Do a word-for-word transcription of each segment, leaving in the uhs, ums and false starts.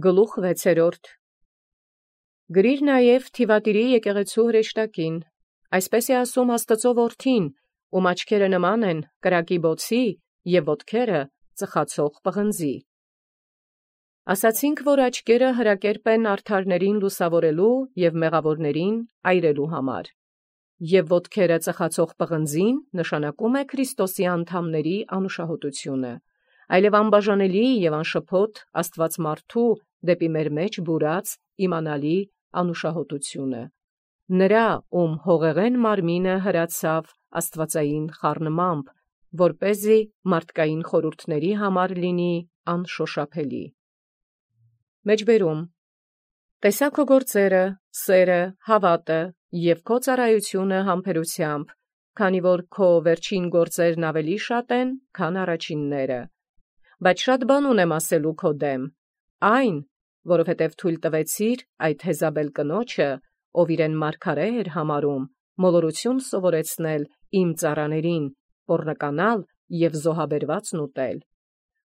Գլուխ վեցերորդ. Գրիր նաև Թիվատիրի եկեղեցու հրեշտակին, այսպես է ասում Աստծո որդին, ում աչքերը նման են կրակի բոցի և ոտքերը ծխացող պղնձի։ Ասացինք, որ աչքերը հրակերպ են արդարներին լուսավորելու և մեղավորներին այրելու համար, և ոտքերը ծխացող պղնձին նշանակում է Քրիստոսի անդամների անուշահոտությունը, այլև անբաժանելի և անշփոթ աստվածմարդու դեպի մեր մեջ բուրած իմանալի անուշահոտությունը, նրա, ում հողեղեն մարմինը հրացավ աստվածային խառնմամբ, որպեսզի մարդկային խորհուրդների համար լինի անշոշափելի։ Մեջբերում. Տեսա քո գործերը, սերը, հավատը և քո ծառայությունը համբերությամբ, քանի որ քո վերջին գործերն ավելի շատ են, քան առաջինները, բայց շատ բան ունեմ ասելու քո դեմ, այն, որովհետև թույլ տվեցիր այդ Եզաբել կնոջը, ով իրեն մարգարե էր համարում, մոլորություն սովորեցնել իմ ծառաներին, պոռնկանալ և զոհաբերվածն ուտել,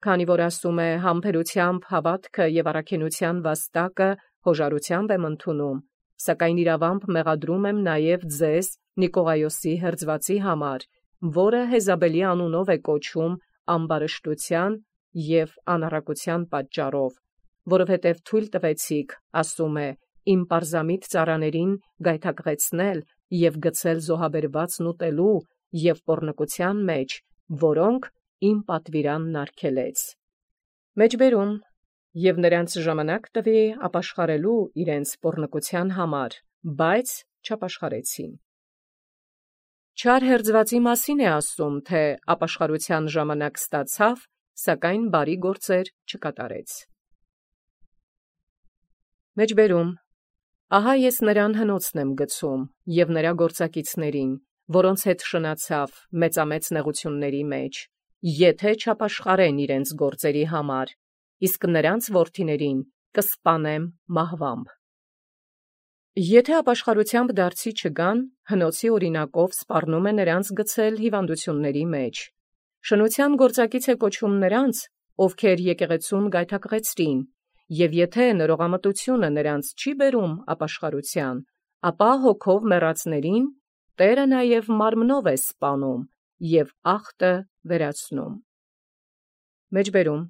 քանի որ ասում է համբերությամբ հավատքը և առաքինության վաստակը հոժարությամբ եմ ընդունում, սակայն իրավամբ մեղադրում եմ նաև ձեզ Նիկողայոսի հերձվածի համար, որը Եզաբելի անունով է կոչում ամբարշտության և անառակության պատճառով, որովհետև թույլ տվեցիք, ասում է, իմ պարզամիտ ծառաներին գայթակղեցնել և գցել զոհաբերվածն ուտելու և պոռնկության մեջ, որոնք իմ պատվիրանն արգելեց։ Մեջբերում. և նրանց ժամանակ տվի ապաշխարելու իրենց պոռնկության համար, բայց չապաշխարեցին։ Չար հերձվածի մասին է ասում, թե ապաշխարության ժամանակ ստացավ, սակայն բարի գործեր չկատարեց։ Մեջբերում. ահա ես նրան հնոցն եմ գցում և նրա գործակիցներին, որոնց հետ շնացավ մեծամեծ նեղությունների մեջ, եթե չապաշխարեն իրենց գործերի համար, իսկ նրանց որդիներին կսպանեմ մահվամբ։ Եթե ապաշխարությամբ դարձի չգան, հնոցի օրինակով սպառնում է նրանց գցել հիվանդությունների մեջ։ Շնության գործակից է կոչում նրանց, ովքեր եկեղեցուն գայթակղեցրին, և եթե նորողամտությունը նրանց չի բերում ապաշխարության, ապա հոգով մեռածներին Տերը նաև մարմնով է սպանում և ախտը վերացնում։ Մեջբերում.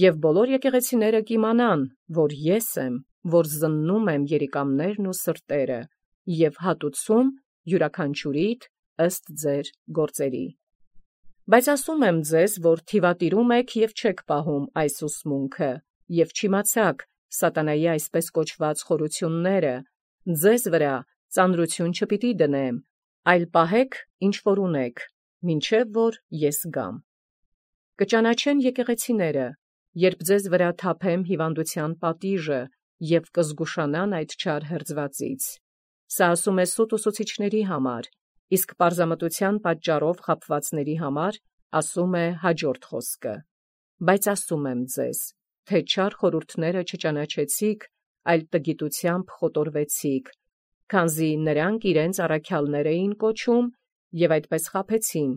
և բոլոր եկեղեցիները կիմանան, որ ես եմ, որ զննում եմ երիկամներն ու սրտերը և հատուցում յուրաքանչյուրիդ ըստ ձեր գործերի։ Բայց ասում եմ ձեզ, որ թիվատիրում եք և չեք պահում այս ուսմունքը, և չիմացաք սատանայի այսպես կոչված խորությունները, ձեզ վրա ծանրություն չպիտի դնեմ, այլ պահեք, ինչ որ ունեք, մինչև որ ես գամ։ Կճանաչեն եկեղեցիները, երբ ձեզ վրա թափեմ հիվանդության պատիժը և կզգուշանան այդ չար հերձվածից։ Սա ասում է սուտ ուսուցիչների համար, իսկ պարզամտության պատճառով խաբվածների համար ասում է հաջորդ խոսքը. բայց ասում եմ ձեզ, թե չար խորհուրդները չճանաչեցիք, այլ տգիտությամբ խոտորվեցիք, քանզի նրանք իրենց առաքյալներ էին կոչում և այդպես խաբեցին,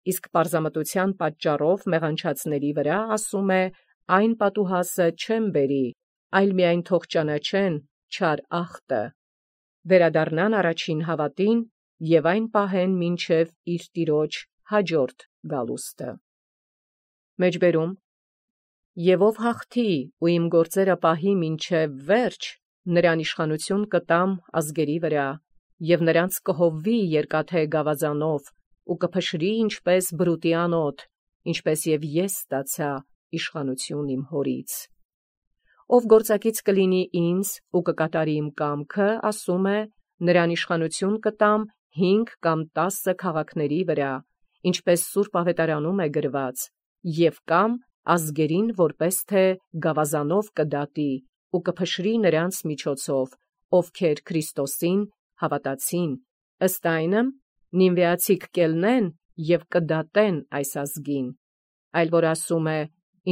իսկ պարզամտության պատճառով մեղանչածների վրա ասում է այն պատուհասը չեմ բերի, այլ միայն թող ճանաչեն չար ախտը, վերադառնան առաջին հավատին և այն պահեն մինչև իր տիրոջ հաջորդ գալուստը։ Մեջբերում. և ով հաղթի ու իմ գործերը պահի մինչև վերջ, նրան իշխանություն կտամ ազգերի վրա, և նրանց կհովվի երկաթե գավազանով ու կփշրի ինչպես բրուտի անոթ, ինչպես և ես ստացա իշխանություն իմ հորից։ Ով գործակից կլինի ինձ ու կկատարի իմ կամքը, ասում է, նրան իշխանություն կտամ հինգ կամ տասը քաղաքների վրա, ինչպես Սուրբ Ավետարանում է գրված, և կամ ազգերին որպես թե գավազանով կդատի ու կփշրի նրանց միջոցով, ովքեր Քրիստոսին հավատացին, ըստ այնմ նինվեացիք կելնեն և կդատեն այս ազգին, այլ որ ասում է,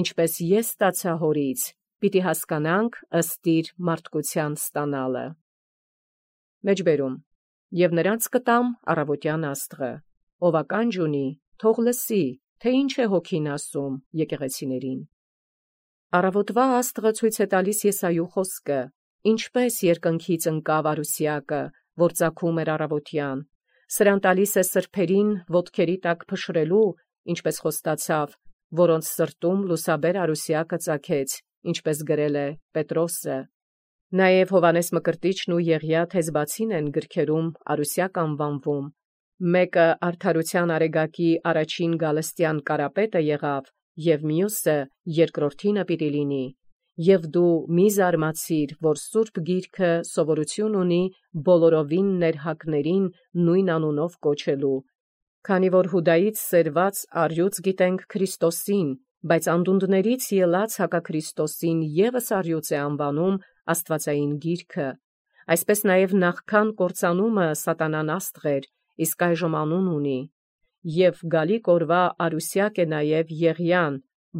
ինչպես ես ստացա հորից, պիտի հասկանանք ըստ իր մարդկության ստանալը։ Մեջբերում. և նրանց կտամ առավոտյան աստղը, ով ականջ ունի, թող լսի, թե ինչ է հոգին ասում եկեղեցիներին։ Առավոտվա աստղը ցույց է տալիս Եսայու խոսքը, ինչպես երկնքից ընկավ Արուսյակը, որ ծագում էր առավոտյան, սրան տալիս է սրբերին ոտքերի տակ փշրելու, ինչպես խոստացավ, որոնց սրտում լուսաբեր Արուսյակը ծագեց, ինչպես գրել է Պետրոսը։ Նաև Հովանես Մկրտիչն ու Եղիա Թեզբացին են գրքերում Արուսյակ անվանվում, մեկը արդարության արեգակի առաջին գալստյան կարապետը եղավ, և մյուսը երկրորդինը պիտի լինի, և դու մի զարմացիր, որ Սուրբ Գիրքը սովորություն ունի բոլորովին ներհակներին նույն անունով կոչելու, քանի որ Հուդայից սերված առյուծ գիտենք Քրիստոսին, բայց անդունդներից ելած հակաքրիստոսին ևս առյուծ է անվանում Աստվածային Գիրքը, այսպես նաև նախքան կործանումը սատանան աստղ էր, իսկ այժմ անուն ունի, և գալիք օրվա Արուսյակ է նաև Եղիան,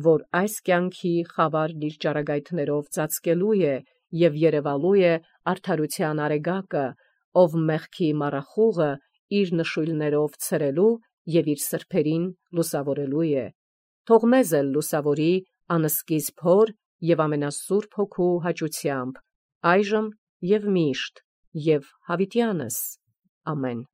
որ այս կյանքի խավար իր ճառագայթներով ծածկելու է և երևալու է արդարության արեգակը, ով մեղքի մառախուղը իր նշույլներով ցրելու և իր սրբերին լուսավորելու է։ Թող մեզ էլ լուսավորի անսկիզբ Հոր և ամենասուրբ Հոգու հաճությամբ, այժմ և միշտ և հավիտյանս։ Ամեն։